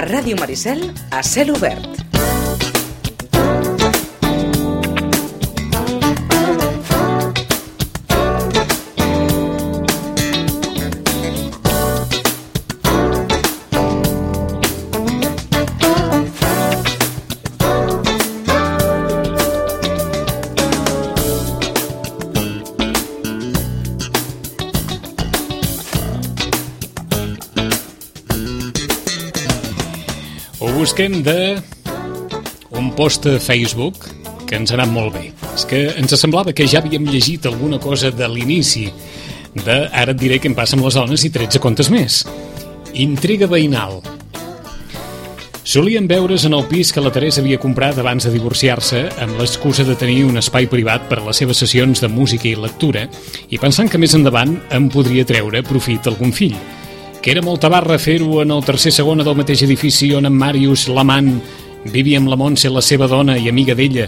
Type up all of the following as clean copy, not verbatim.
Ràdio Maricel, a cel obert. Busquem d'un post a Facebook que ens ha anat molt bé. És que ens semblava que ja havíem llegit alguna cosa de l'inici de Ara et diré què em passa amb les dones i 13 contes més. Intriga veïnal. Solíem veure's en el pis que la Teresa havia comprat abans de divorciar-se amb l'excusa de tenir un espai privat per a les seves sessions de música i lectura i pensant que més endavant em podria treure profit algun fill. Que era molta barra fer-ho en el tercer segona del mateix edifici on en Màrius, l'amant, vivia amb la Montse, la seva dona i amiga d'ella,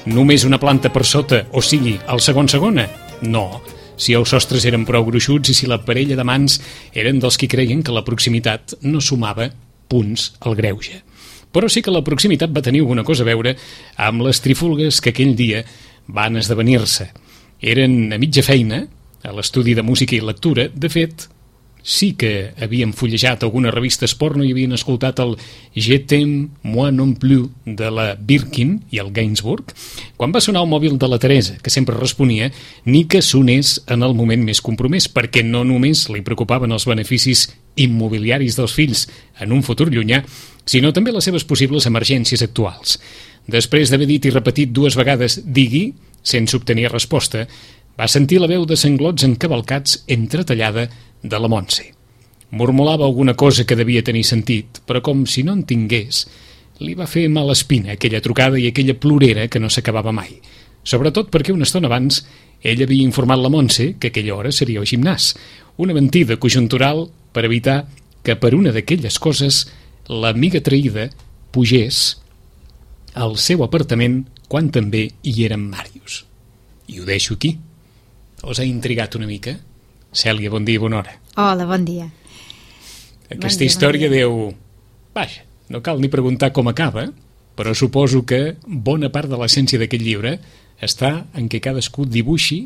només una planta per sota, o sigui, el segon segona? No, si els sostres eren prou gruixuts i si la parella d'amants eren dels que creien que la proximitat no sumava punts al greuge. Però sí que la proximitat va tenir alguna cosa a veure amb les trifulgues que aquell dia van esdevenir-se. Eren a mitja feina, a l'estudi de música i lectura, de fet, sí que havien fullejat algunes revistes porno i havien escoltat el Je t'aime, moi non plus de la Birkin i el Gainsbourg, quan va sonar el mòbil de la Teresa, que sempre responia ni que sonés en el moment més compromès, perquè no només li preocupaven els beneficis immobiliaris dels fills en un futur llunyà, sinó també les seves possibles emergències actuals. Després d'haver dit i repetit 2 vegades digui, sense obtenir resposta, va sentir la veu de sanglots encavalcats entretallada de la Montse. Mormolava alguna cosa que devia tenir sentit, però com si no en tingués, li va fer mala espina aquella trucada i aquella plorera que no s'acabava mai. Sobretot perquè una estona abans ell havia informat la Montse que aquella hora seria al gimnàs. Una mentida conjuntural per evitar que per una d'aquelles coses l'amiga traïda pugés al seu apartament quan també hi era en Màrius. I ho deixo aquí. Us ha intrigat una mica? Cèlia, bon dia i bona hora. Hola, bon dia. Aquesta història diu... Vaja, no cal ni preguntar com acaba, però suposo que bona part de l'essència d'aquest llibre està en què cadascú dibuixi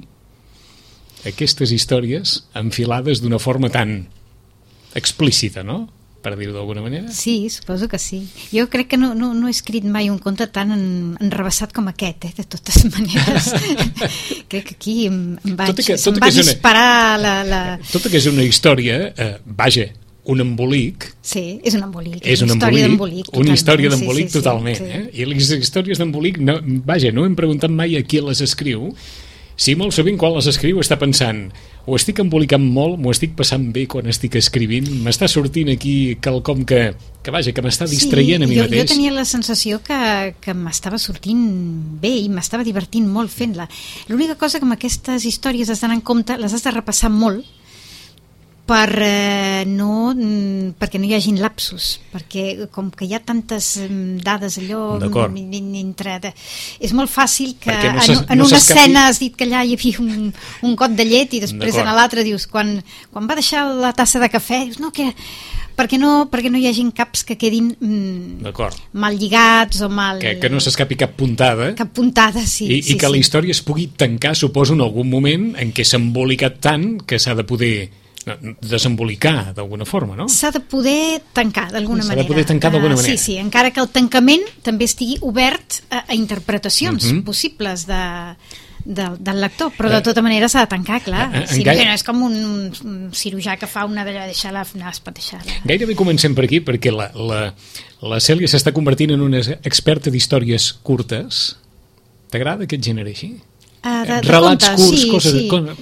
aquestes històries enfilades d'una forma tan explícita, no?, per dir-ho d'alguna manera? Sí, suposo que sí. Jo crec que no he escrit mai un conte tan enrebaçat com aquest, de totes maneres. Crec que aquí em va disparar la... Tot que és una història, vaja, un embolic... Sí, és un embolic. És una història d'embolic. Una història d'embolic totalment. Sí. I les històries d'embolic, vaja, no hem preguntat mai a qui les escriu. Sí, molt sovint quan les escriu està pensant o estic embolicant molt, m'ho estic passant bé quan estic escrivint, m'està sortint aquí quelcom que vaja, que m'està distraient a mi mateix. Jo tenia la sensació que m'estava sortint bé i m'estava divertint molt fent-la. L'única cosa que amb aquestes històries has d'anar en compte, les has de repassar molt perquè no hi hagin lapsus, perquè com que hi ha tantes dades allò entre... És molt fàcil que en una escena has dit que allà hi havia un got de llet i després en l'altra dius, quan va deixar la tassa de cafè, dius, no, que perquè no hi hagin caps que quedin mal lligats o mal... Que no s'escapi cap puntada. Cap puntada, sí. I que la història es pugui tancar, suposo, en algun moment en què s'ha embolicat tant que s'ha de poder desembolicar d'alguna forma, no? S'ha de poder tancar d'alguna manera. S'ha de poder tancar d'alguna manera. Sí, encara que el tancament també estigui obert a interpretacions possibles del lector, però de tota manera s'ha de tancar, clar. No és com un cirurgià que fa una d'allò, deixar-la espateixar-la. Gairebé comencem per aquí, perquè la Cèlia s'està convertint en una experta d'històries curtes. T'agrada aquest gènere així? Relats curts, coses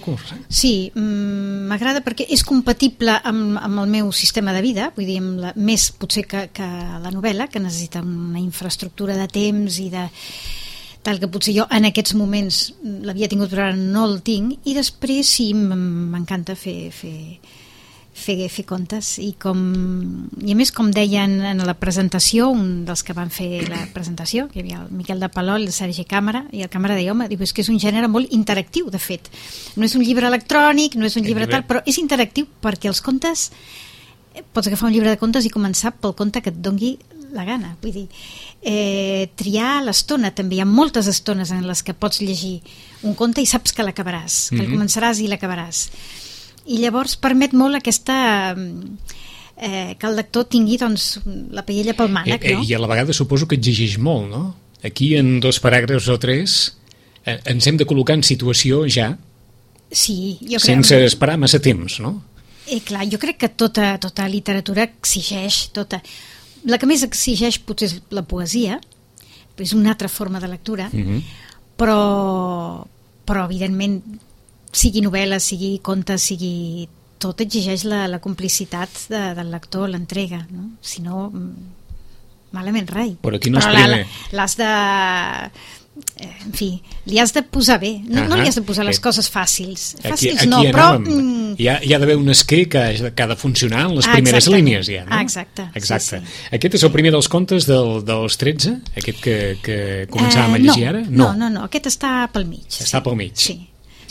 curts. Sí, m'agrada perquè és compatible amb el meu sistema de vida, vull dir, més potser que la novel·la, que necessita una infraestructura de temps i de tal que potser jo en aquests moments l'havia tingut però ara no el tinc, i després sí, m'encanta fer contes i a més, com deien en la presentació, un dels que van fer la presentació, que hi havia el Miquel de Palol, el Sergi Càmera, i el Càmera deia, home, és que és un gènere molt interactiu, de fet, no és un llibre electrònic, no és un llibre tal, però és interactiu perquè els contes pots agafar un llibre de contes i començar pel conte que et dongui la gana, vull dir, triar l'estona també, hi ha moltes estones en les que pots llegir un conte i saps que l'acabaràs, que el començaràs i l'acabaràs, i llavors permet molt aquesta que el lector tingui doncs la paella pel mànec, no? I a la vegada suposo que exigeix molt, no? Aquí en 2 paràgrafs o 3 ens hem de col·locar en situació ja, sí, jo crec, sense esperar massa temps, no? Clar, jo crec que tota literatura exigeix, la que més exigeix potser és la poesia, és una altra forma de lectura, però evidentment sigui novel·la, sigui conte, sigui... tot exigeix la complicitat del lector, l'entrega, no? Si no, malament rai. Però aquí no és primer. L'has de... En fi, li has de posar bé. No li has de posar les coses fàcils. Fàcils no, però... Hi ha d'haver un escrit que ha de funcionar en les primeres línies, ja, no? Exacte. Sí. Aquest és el primer dels contes dels 13? Aquest que començàvem a llegir ara? No, aquest està pel mig. Està pel mig. Sí.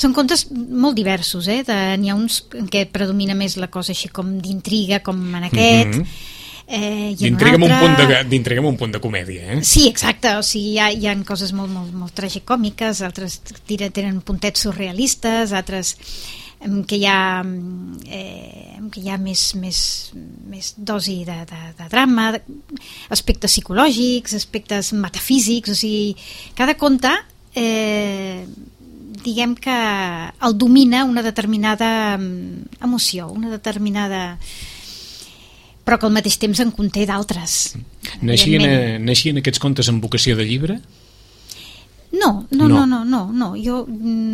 Són contes molt diversos, n'hi ha uns en què predomina més la cosa així com d'intriga, com en aquest, d'intriga amb un punt de comèdia, Sí, exacte, o sigui, hi ha coses molt tragicòmiques, altres tenen puntets surrealistes, altres que hi ha més dosi de drama, aspectes psicològics, aspectes metafísics, o sigui, cada conte diguem que el domina una determinada emoció, una determinada... però que al mateix temps en conté d'altres. Naixien aquests contes amb vocació de llibre? No. Jo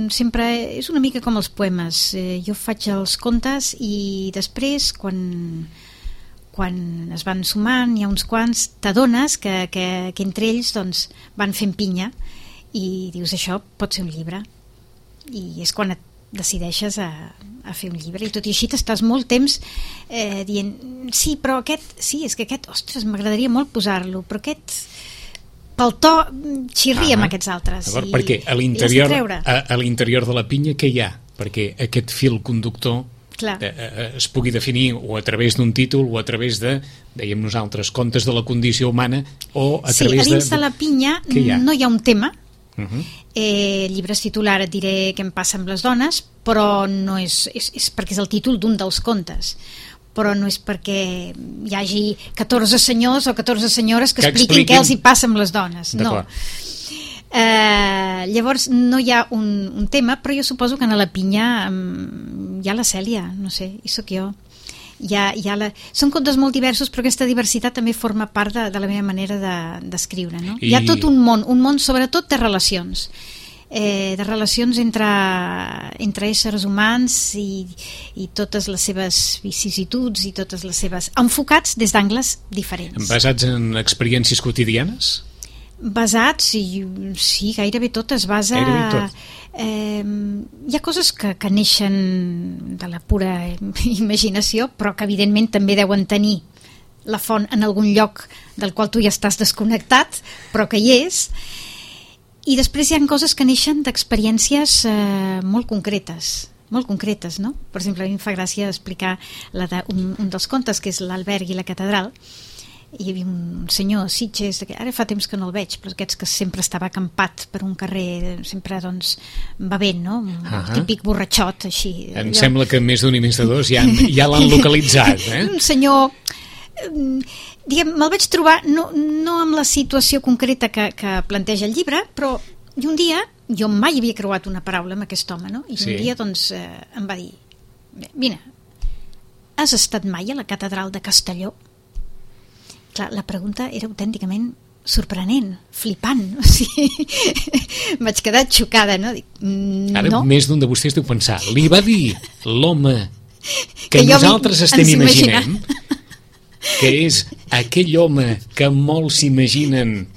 sempre... És una mica com els poemes. Jo faig els contes i després, quan es van sumant, hi ha uns quants, t'adones que entre ells doncs, van fent pinya i dius, això pot ser un llibre. I és quan et decideixes a fer un llibre, i tot i així t'estàs molt temps dient, sí, però és que aquest, ostres, m'agradaria molt posar-lo, però aquest pel to xirria amb aquests altres. Perquè a l'interior de la pinya què hi ha? Perquè aquest fil conductor es pugui definir o a través d'un títol o a través de, dèiem nosaltres, contes de la condició humana, o a través a dins de la pinya no hi ha un tema. Llibres titular et diré què em passa amb les dones, però no és perquè és el títol d'un dels contes, però no és perquè hi hagi 14 senyors o 14 senyores que expliquin què els hi passa amb les dones, no. Llavors no hi ha un tema, però jo suposo que a la pinya hi ha la Cèlia, no sé, hi soc jo. Són contes molt diversos, però aquesta diversitat també forma part de la meva manera d'escriure, no? Hi ha tot un món sobretot de relacions, entre éssers humans i totes les seves vicissituds i totes les seves... enfocats des d'angles diferents. Basats en experiències quotidianes? Basats, sí, gairebé tot es basa... hi ha coses que neixen de la pura imaginació, però que evidentment també deuen tenir la font en algun lloc del qual tu ja estàs desconnectat, però que hi és. I després hi ha coses que neixen d'experiències molt concretes, no? Per exemple, a mi em fa gràcia explicar un dels contes, que és l'Alberg i la catedral. Hi havia un senyor a Sitges, ara fa temps que no el veig, però aquests que sempre estava acampat per un carrer, sempre doncs bevent, no? Un típic borratxot, així. Em sembla que més d'un i més de dos ja l'han localitzat, Un senyor, diguem, me'l vaig trobar no amb la situació concreta que planteja el llibre, però un dia, jo mai havia creuat una paraula amb aquest home, no? I un dia doncs em va dir, vine, has estat mai a la catedral de Castelló? Clar, la pregunta era autènticament sorprenent, flipant, o sigui, vaig quedar xocada, no? Dic, no. Ara més d'un de vostès deu pensar, li va dir l'home que nosaltres estem imaginant, que és aquell home que molts s'imaginen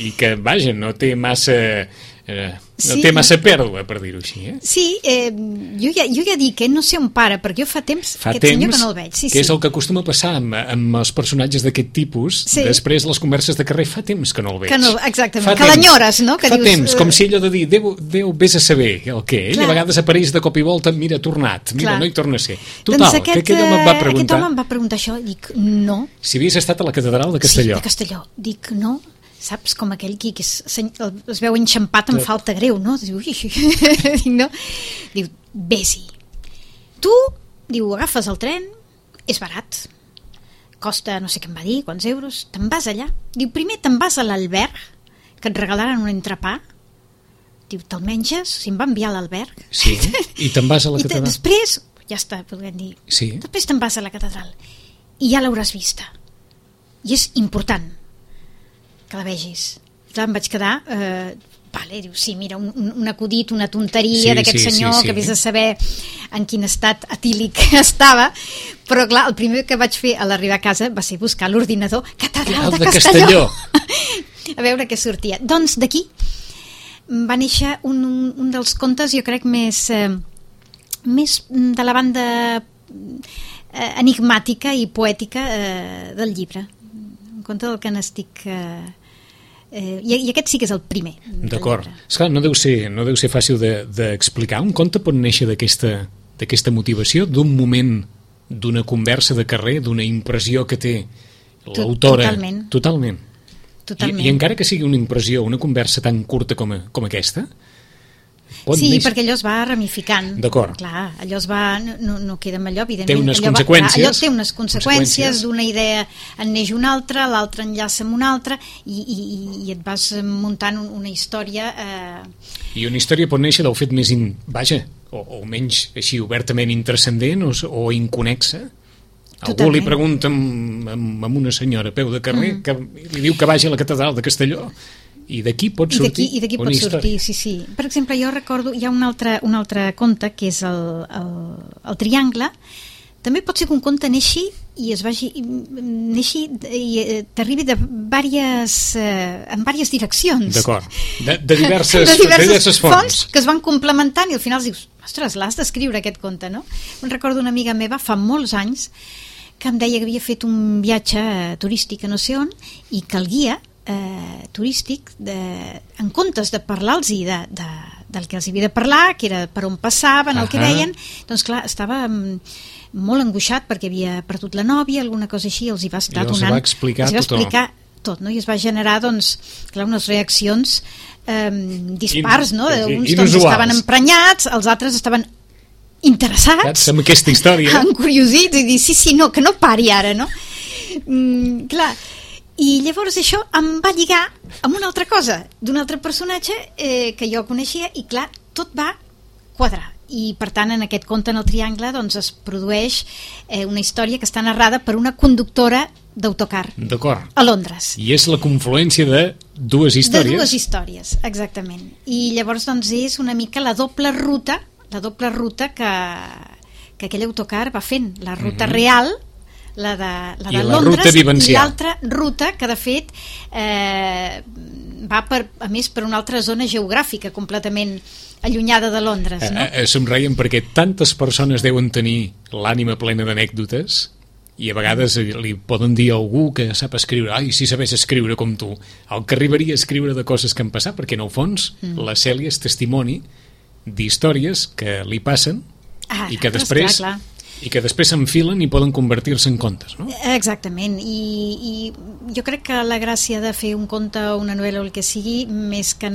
i que, vaja, no té massa no té massa pèrdua, per dir-ho així. Sí, jo ja dic que no sé on para, perquè jo fa temps aquest senyor que no el veig. Que és el que acostuma a passar amb els personatges d'aquest tipus, després les converses de carrer fa temps que no el veig. Exactament, que l'enyores, no? Fa temps, com si allò de dir, Déu vés a saber el què, ell a vegades apareix de cop i volta, mira, tornat, mira, no hi torna a ser. Total, que aquell home em va preguntar... Aquest home em va preguntar això, dic, no. Si havies estat a la catedral de Castelló. Sí, de Castelló. Dic, no. Saps, com aquell que es veu enxampat amb falta greu, no? Diu, no? Diu, vés-hi. Tu, diu, agafes el tren, és barat, costa, no sé què em va dir, quants euros, te'n vas allà. Diu, primer te'n vas a l'alberg, que et regalaran un entrepà, diu, te'l menges, si em va enviar a l'alberg. Sí, i te'n vas a la catedral. I després, ja està, podríem dir, després te'n vas a la catedral, i ja l'hauràs vista. I és important que la vegis. Clar, em vaig quedar diu, sí, mira, un acudit, una tonteria d'aquest senyor que vés a saber en quin estat etílic estava, però clar, el primer que vaig fer a l'arribar a casa va ser buscar l'ordinador Catedral de Castelló. A veure què sortia. Doncs d'aquí va néixer un dels contes, jo crec, més de la banda enigmàtica i poètica del llibre. Un conte del que n'estic... I aquest sí que és el primer. D'acord. Esclar, no deu ser fàcil d'explicar. Un conte pot néixer d'aquesta motivació, d'un moment, d'una conversa de carrer, d'una impressió que té l'autora. Totalment. I encara que sigui una impressió, una conversa tan curta com aquesta, perquè allò es va ramificant. D'acord. Clar, allò es va... No queda amb allò, evidentment. Té unes conseqüències. Allò té unes conseqüències, d'una idea en neix una altra, l'altra enllaça amb una altra, i et vas muntant una història... I una història pot néixer del fet més... o menys així obertament intrascendent o inconexa. Algú li pregunta a una senyora a peu de carrer que li diu que vagi a la catedral de Castelló, i d'aquí pot sortir una història. Sí. Per exemple, jo recordo, hi ha un altre conte que és el Triangle. També pot ser que un conte neixi i t'arribi en diverses direccions. D'acord, de diverses fonts que es van complementant, i al final dius, ostres, l'has d'escriure aquest conte, no? Em recordo una amiga meva fa molts anys que em deia que havia fet un viatge turístic a no sé on, i que el guia turístic, en comptes de parlar-los del que els havia de parlar, que era per on passaven, el que veien, doncs clar, estava molt angoixat perquè havia perdut la nòvia, alguna cosa així, els hi va estar donant, els va explicar tot, no? I es va generar, doncs, clar, unes reaccions dispars, no? Uns estaven emprenyats, els altres estaven interessats amb aquesta història, encuriosits, i dir, sí, no, que no pari ara, no? Clar. I llavors això em va lligar amb una altra cosa, d'un altre personatge que jo coneixia, i clar, tot va quadrar. I per tant, en aquest conte, en el Triangle, doncs es produeix una història que està narrada per una conductora d'autocar a Londres. I és la confluència de dues històries. De dues històries, exactament. I llavors doncs és una mica la doble ruta que aquell autocar va fent, la ruta real, la de Londres, i l'altra ruta que de fet va a més per una altra zona geogràfica completament allunyada de Londres, no? Somreiem perquè tantes persones deuen tenir l'ànima plena d'anècdotes, i a vegades li poden dir a algú que sap escriure, si sabés escriure com tu, el que arribaria a escriure de coses que han passat, perquè en el fons la Cèlia és testimoni d'històries que li passen i que després s'enfilen i poden convertir-se en contes, no? Exactament, i jo crec que la gràcia de fer un conte o una novel·la o el que sigui, més que o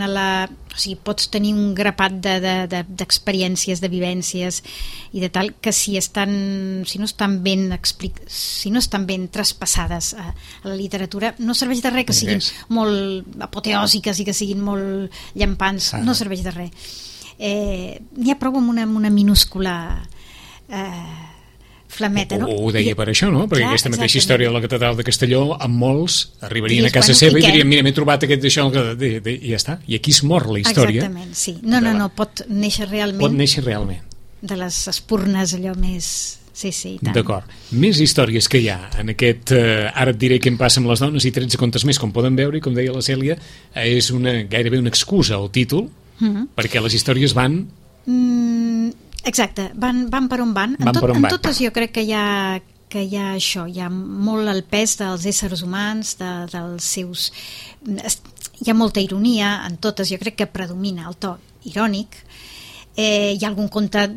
sigui, pots tenir un grapat d'experiències, de vivències i de tal, que si no estan ben traspassades a la literatura, no serveix de res que siguin molt apoteòsiques i que siguin molt llampants, no serveix de res. N'hi ha prou amb una minúscula flameta, no? Ho deia per això, no? Perquè aquesta mateixa història de la catedral de Castelló, amb molts arribarien a casa seva i dirien, mira, m'he trobat aquest d'això, i ja està. I aquí es mor la història. Exactament, sí. No, pot néixer realment. Pot néixer realment. De les espurnes allò més sí, i tant. D'acord. Més històries que hi ha en aquest Ara et diré què em passa amb les dones i 13 contes més, com poden veure, i com deia la Cèlia, és gairebé una excusa al títol, perquè les històries van... Exacte, van per on van. En totes jo crec que hi ha això, hi ha molt el pes dels éssers humans, dels seus... Hi ha molta ironia en totes, jo crec que predomina el to irònic. Hi ha algun conte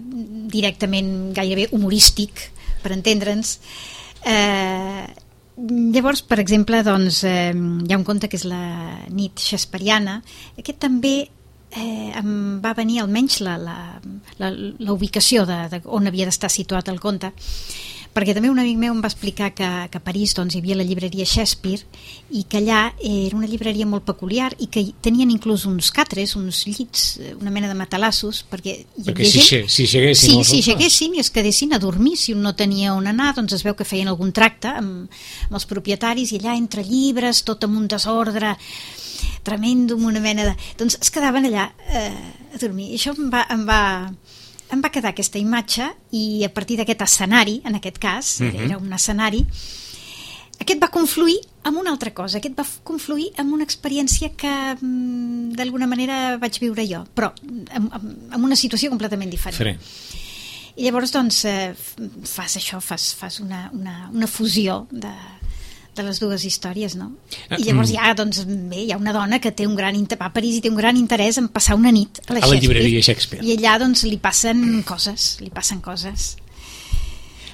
directament gairebé humorístic, per entendre'ns. Llavors, per exemple, doncs, hi ha un conte que és La nit shakespeariana. Aquest també em va venir almenys la ubicació on havia d'estar situat el conte, perquè també un amic meu em va explicar que a París doncs, hi havia la llibreria Shakespeare i que allà era una llibreria molt peculiar i que tenien inclús uns catres, uns llits, una mena de matalassos, perquè si lleguessin i es quedessin a dormir, si un no tenia on anar, doncs es veu que feien algun tracte amb els propietaris, i allà entre llibres, tot amb un desordre tremendo, amb una mena de... Doncs es quedaven allà a dormir. I això em va quedar aquesta imatge, i a partir d'aquest escenari, en aquest cas, era un escenari, aquest va confluir amb una altra cosa, aquest va confluir amb una experiència que d'alguna manera vaig viure jo, però amb una situació completament diferent. I llavors doncs fas una fusió de les dues històries, no? I llavors hi ha una dona que té va a París i té un gran interès en passar una nit a la llibreria Shakespeare. I allà doncs li passen coses.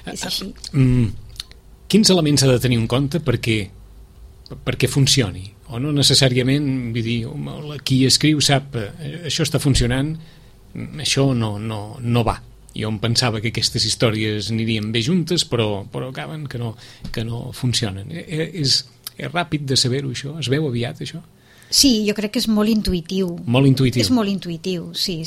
És així. Quins elements ha de tenir en compte perquè funcioni? O no necessàriament, vull dir, qui escriu sap això està funcionant, això no va. Jo em pensava que aquestes històries anirien bé juntes, però acaben que no funcionen. És ràpid de saber-ho, això? Es veu aviat, això? Sí, jo crec que és molt intuïtiu. Molt intuïtiu? És molt intuïtiu, sí.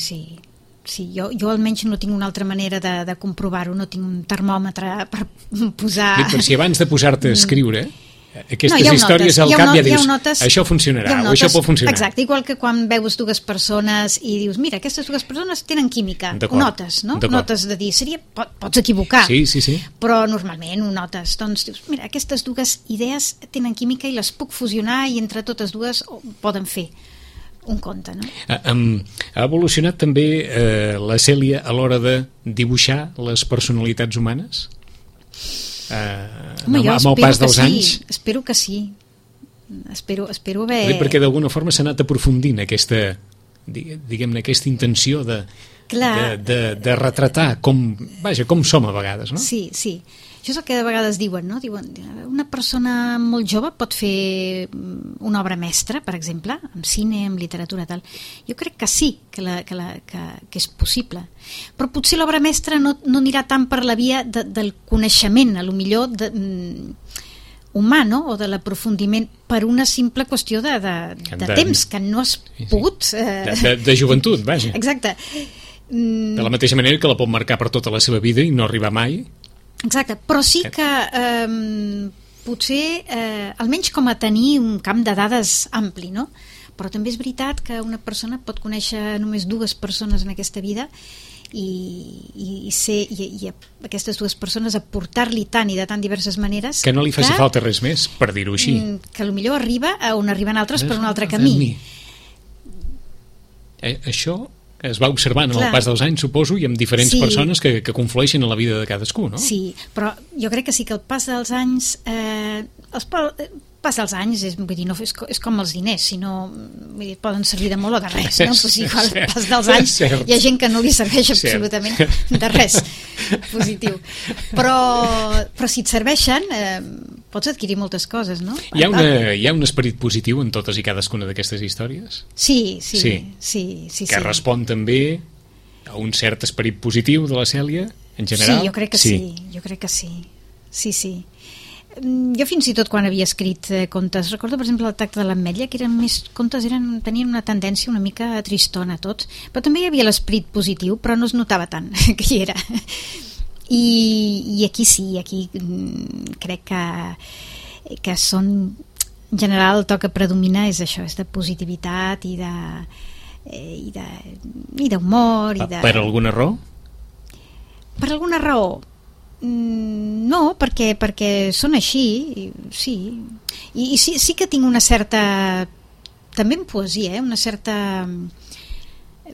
Jo almenys no tinc una altra manera de comprovar-ho, no tinc un termòmetre per posar... Però si abans de posar-te a escriure... Aquestes històries al cap ja dius això funcionarà o això pot funcionar. Exacte, igual que quan veus dues persones i dius, mira, aquestes dues persones tenen química, ho notes, no? Notes de dir, pots equivocar, sí. Però normalment ho notes, doncs dius, mira, aquestes dues idees tenen química i les puc fusionar i entre totes dues poden fer un conte, no? Ha evolucionat també la Cèlia a l'hora de dibuixar les personalitats humanes? Amb el pas dels anys? Espero que sí. Espero haver... Perquè d'alguna forma s'ha anat aprofundint aquesta, diguem-ne, aquesta intenció de retratar com som a vegades, no? Sí. Això és el que de vegades diuen, no? Diuen, una persona molt jove pot fer una obra mestra, per exemple, en cine, en literatura, tal. Jo crec que sí, que és possible. Però potser l'obra mestra no anirà tant per la via del coneixement, a lo millor humà, no? O de l'aprofundiment, per una simple qüestió de temps, que no has pogut... De joventut, vaja. Exacte. De la mateixa manera que la pot marcar per tota la seva vida i no arribar mai. Exacte, però sí que potser, almenys com a tenir un camp de dades ampli, no? Però també és veritat que una persona pot conèixer només dues persones en aquesta vida i aquestes dues persones aportar-li tant i de tan diverses maneres que no li faci falta res més, per dir-ho així, que potser arriba a on arriben altres per un altre camí. Això es va observant amb el pas dels anys, suposo, i amb diferents persones que conflueixen en la vida de cadascú, no? Sí, però jo crec que sí que el pas dels anys... pas dels anys, vull dir, no, és com els diners, si no poden servir de molt o de res, no? Pues igual el pas dels anys hi ha gent que no li serveix absolutament de res positiu, però si et serveixen pots adquirir moltes coses, no? Hi ha un esperit positiu en totes i cadascuna d'aquestes històries? Sí. Que respon també a un cert esperit positiu de la Cèlia, en general? Sí, jo crec que sí. Sí. Jo fins i tot quan havia escrit contes, recordo per exemple el Tacte de l'Ametlla, que eren més contes, tenien una tendència una mica tristona tots, però també hi havia l'esperit positiu, però no es notava tant que hi era. I aquí sí, aquí crec que són, en general el to que predomina és això, és de positivitat i d'humor. Per alguna raó? Per alguna raó? No, perquè són així, sí. I sí que tinc una certa... També en poesia, una certa...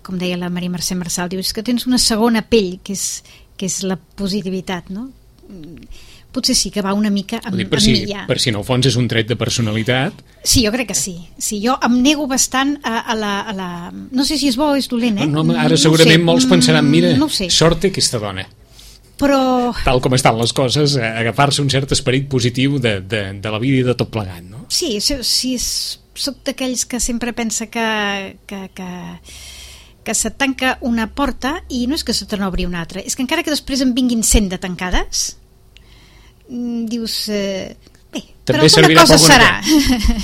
Com deia la Maria Mercè Marçal, diu, és que tens una segona pell, que és la positivitat, no? Potser sí que va una mica amb mi ja. Per si en el fons és un tret de personalitat. Sí, jo crec que sí. Sí, jo em nego bastant a la... No sé si és bo o és dolent, No, ara segurament molts pensaran, mira, sort té aquesta dona. Però... Tal com estan les coses, agafar-se un cert esperit positiu de la vida i de tot plegat, no? Sí, soc d'aquells que sempre pensa que se tanca una porta i no és que se te n'obri una altra, és que encara que després en vinguin 100 de tancades, dius, bé, però alguna cosa serà,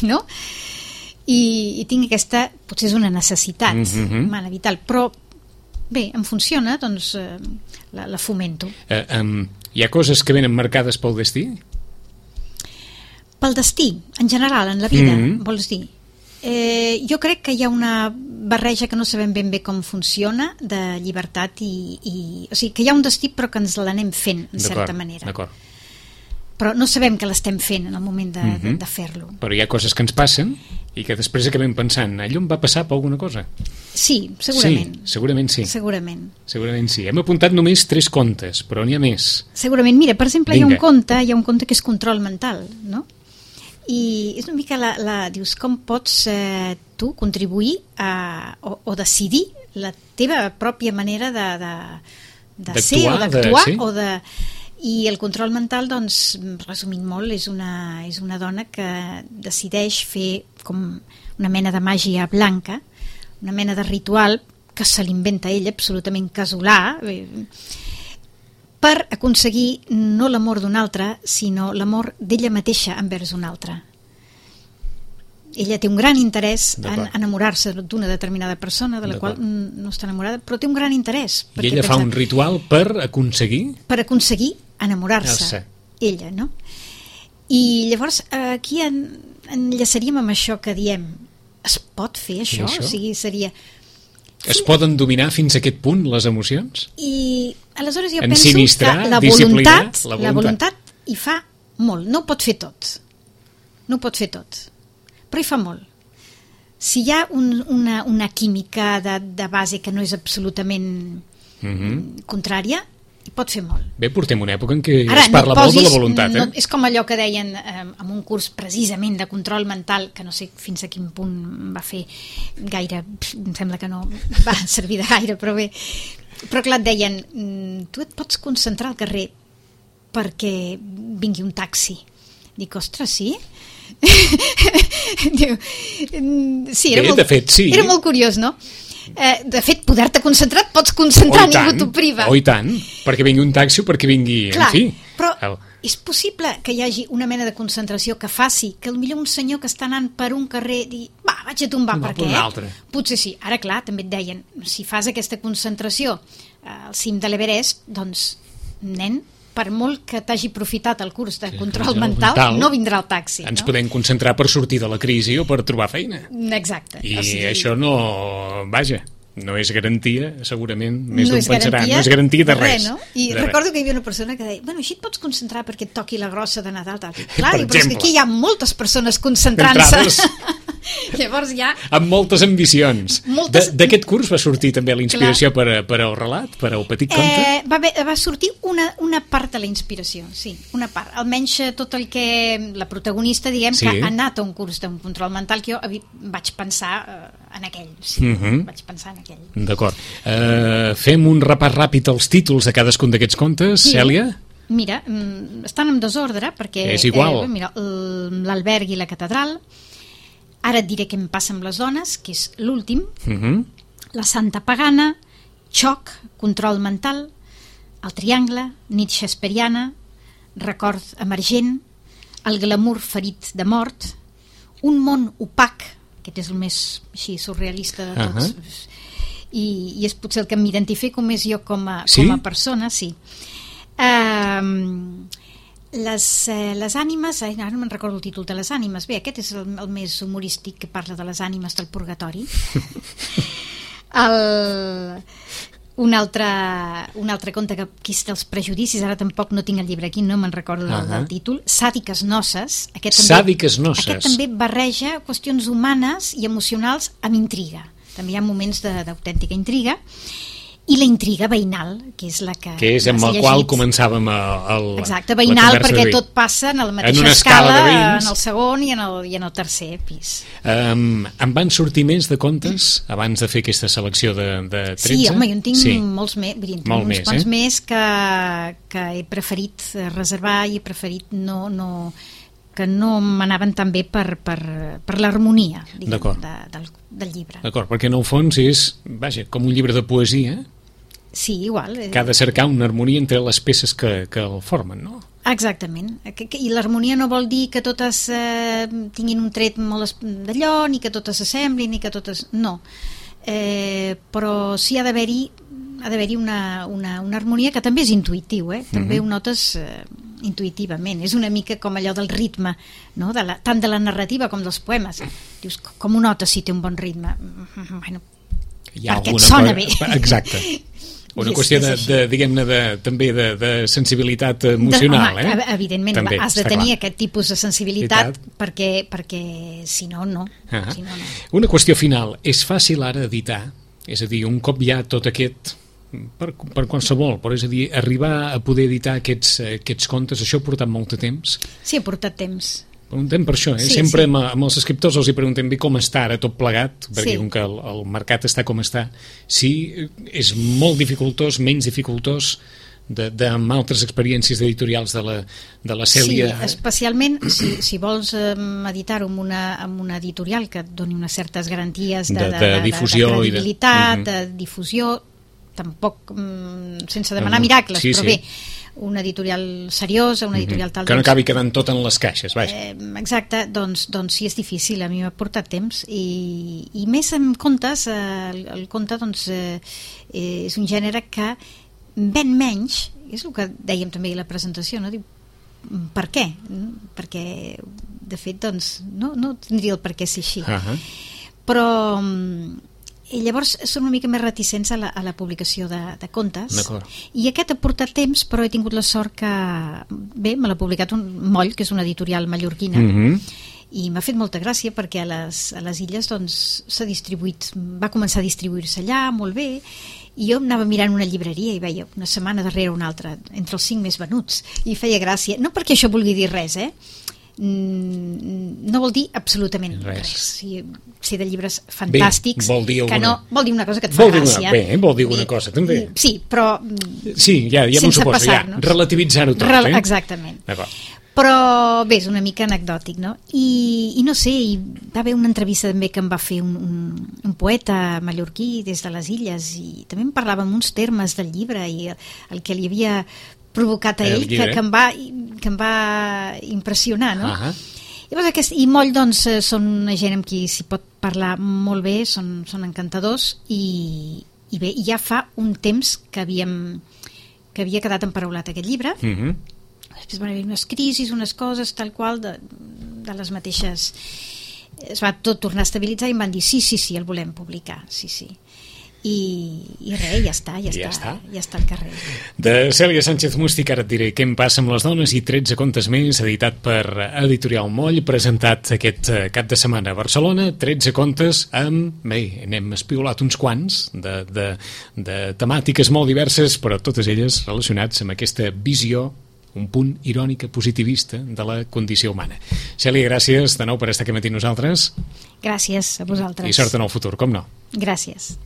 no? I tinc aquesta, potser és una necessitat humana, vital, però bé, em funciona, doncs la fomento. Hi ha coses que venen marcades pel destí? Pel destí, en general, en la vida, vols dir? Jo crec que hi ha una barreja que no sabem ben bé com funciona, de llibertat o sigui, que hi ha un destí però que ens l'anem fent, en certa manera. D'acord. Però no sabem que l'estem fent en el moment de fer-lo. Però hi ha coses que ens passen i que després acabem pensant, allò em va passar per alguna cosa? Sí, segurament. Sí, segurament sí. Segurament sí. Hem apuntat només 3 contes, però n'hi ha més. Segurament. Mira, per exemple, hi ha un conte que és Control mental, no? I és una mica dius, com pots tu contribuir o decidir la teva pròpia manera de ser o d'actuar, sí? I el control mental, doncs, resumint molt, és una dona que decideix fer com una mena de màgia blanca, una mena de ritual que se l'inventa ella, absolutament casolà, per aconseguir no l'amor d'un altre, sinó l'amor d'ella mateixa envers un altre. Ella té un gran interès en enamorar-se d'una determinada persona de la qual no està enamorada, però té un gran interès. I ella fa un ritual per aconseguir? Per aconseguir enamorar-se, ella, no? I llavors aquí enllaçaríem amb això que diem, es pot fer això? O sigui, seria... Es poden dominar fins a aquest punt les emocions? I aleshores jo penso que la voluntat hi fa molt. No ho pot fer tot. Però hi fa molt. Si hi ha una química de base que no és absolutament contrària, hi pot fer molt. Bé, portem una època en què es parla molt de la voluntat. És com allò que deien en un curs precisament de control mental, que no sé fins a quin punt va fer gaire, em sembla que no va servir de gaire, però bé. Però clar, et deien, tu et pots concentrar al carrer perquè vingui un taxi. Dic, ostres, sí? Diu, sí, era molt curiós, no? De fet, poder-te concentrar et pots concentrar, ningú t'ho priva. I tant, perquè vingui un taxi o perquè vingui... Clar, però és possible que hi hagi una mena de concentració que faci que potser un senyor que està anant per un carrer digui, va, vaig a tombar, perquè potser sí. Ara, clar, també et deien, si fas aquesta concentració al cim de l'Everest, doncs, nen, per molt que t'hagi aprofitat el curs de control mental, no vindrà el taxi. Ens podem concentrar per sortir de la crisi o per trobar feina. Exacte. I això no... Vaja, no és garantia, segurament, més d'un pensarà. No és garantia de res. No? I recordo que hi havia una persona que deia, bueno, així et pots concentrar perquè et toqui la grossa de Nadal. Tal. Clar, però és que aquí hi ha moltes persones concentrant-se. Llavors ja... Amb moltes ambicions. D'aquest curs va sortir també la inspiració per al relat, per al petit conte? Va sortir una part de la inspiració, sí, una part. Almenys tot el que la protagonista, diguem, que ha anat a un curs d'un control mental, que jo vaig pensar en aquell. Sí, vaig pensar en aquell. D'acord. Fem un repàs ràpid als títols de cadascun d'aquests contes, Cèlia? Mira, estan en desordre, perquè... És igual. Mira, l'alberg i la catedral. Ara et diré què em passa amb les dones, que és l'últim, la Santa Pagana, Xoc, Control mental, el Triangle, Nit Shakespeariana, Record emergent, el glamour ferit de mort, un món opac, aquest és el més així surrealista de tots, i és potser el que m'identifico més jo com a persona, sí. Les ànimes, ara no me'n recordo el títol de les ànimes, bé, aquest és el més humorístic, que parla de les ànimes del purgatori. Un altre conte que és dels prejudicis, ara tampoc no tinc el llibre aquí, no me'n recordo del títol, Sàdiques noces. Aquest també barreja qüestions humanes i emocionals amb intriga. També hi ha moments d'autèntica intriga. I la intriga veïnal, que és la que... Que és amb la qual començàvem Exacte, veïnal, perquè tot passa en la mateixa escala, en el segon i en el tercer pis. En van sortir més de contes abans de fer aquesta selecció de 13? Sí, home, jo en tinc molts més, uns quants més que he preferit reservar i he preferit que no m'anaven tan bé per l'harmonia del llibre. D'acord, perquè en el fons és, com un llibre de poesia. Sí, igual. Que ha de cercar una harmonia entre les peces que el formen, no? Exactament. I l'harmonia no vol dir que totes tinguin un tret molt d'allò, ni que totes s'assemblin, ni que totes... No. Però sí ha d'haver-hi una harmonia que també és intuïtiu, també ho notes intuïtivament. És una mica com allò del ritme, no? Tant de la narrativa com dels poemes. Dius, com ho notes si té un bon ritme? Bueno, perquè et sona bé. Exacte. Una qüestió també de sensibilitat emocional, Evidentment, també, has de tenir aquest tipus de sensibilitat perquè si no, no. Una qüestió final. És fàcil ara editar? És a dir, un cop hi ha tot aquest... Per qualsevol, però és a dir, arribar a poder editar aquests contes, això ha portat molt de temps? Sí, ha portat temps. Preguntem per això, sempre amb els escriptors els preguntem bé com està ara tot plegat, perquè com que el mercat està com està, si és molt dificultós, menys dificultós amb altres experiències editorials de la Cèlia. Sí, especialment si vols editar-ho amb una editorial que et doni unes certes garanties de difusió, de credibilitat, de difusió, tampoc sense demanar miracles, però bé, una editorial seriosa, una editorial tal... Que no acabi quedant tot en les caixes, vaja. Exacte, doncs sí, és difícil, a mi m'ha portat temps, i més en contes, el conte és un gènere que ven menys, és el que dèiem també a la presentació, no? Diu, per què? Perquè, de fet, no tindria el per què ser així. Però... I llavors són una mica més reticents a la publicació de contes. I aquest ha portat temps, però he tingut la sort que... Bé, me l'ha publicat un Moll, que és una editorial mallorquina, i m'ha fet molta gràcia perquè a les illes s'ha distribuït, va començar a distribuir-se allà, molt bé, i jo anava mirant una llibreria i veia una setmana darrere una altra, entre els 5 més venuts, i feia gràcia. No perquè això vulgui dir res, no vol dir absolutament res. Si de llibres fantàstics, vol dir una cosa que et fa gràcia. Vol dir una cosa també. Sí, però sí, ja m'ho suposo, relativitzar-ho tot. Exactament. Però bé, és una mica anecdòtic, no? I no sé, hi va haver una entrevista també que em va fer un poeta mallorquí des de les illes, i també em parlava amb uns termes del llibre i el que li havia provocat a ell, que em va impressionar, no? I Moll, són una gent amb qui s'hi pot parlar molt bé, són encantadors, i bé, ja fa un temps que havia quedat emparaulat aquest llibre. Després van haver unes crisis, unes coses tal qual de les mateixes, es va tot tornar a estabilitzar i em van dir sí, el volem publicar, sí. I res, ja està al carrer. De Cèlia Sánchez Mústic, ara et diré què em passa amb les dones, i 13 contes més, editat per Editorial Moll, presentat aquest cap de setmana a Barcelona. 13 contes n'hem espiolat uns quants de temàtiques molt diverses, però totes elles relacionats amb aquesta visió un punt irònica, positivista de la condició humana. Cèlia, gràcies de nou per estar aquí matí amb nosaltres. Gràcies a vosaltres. I sort en el futur, com no. Gràcies.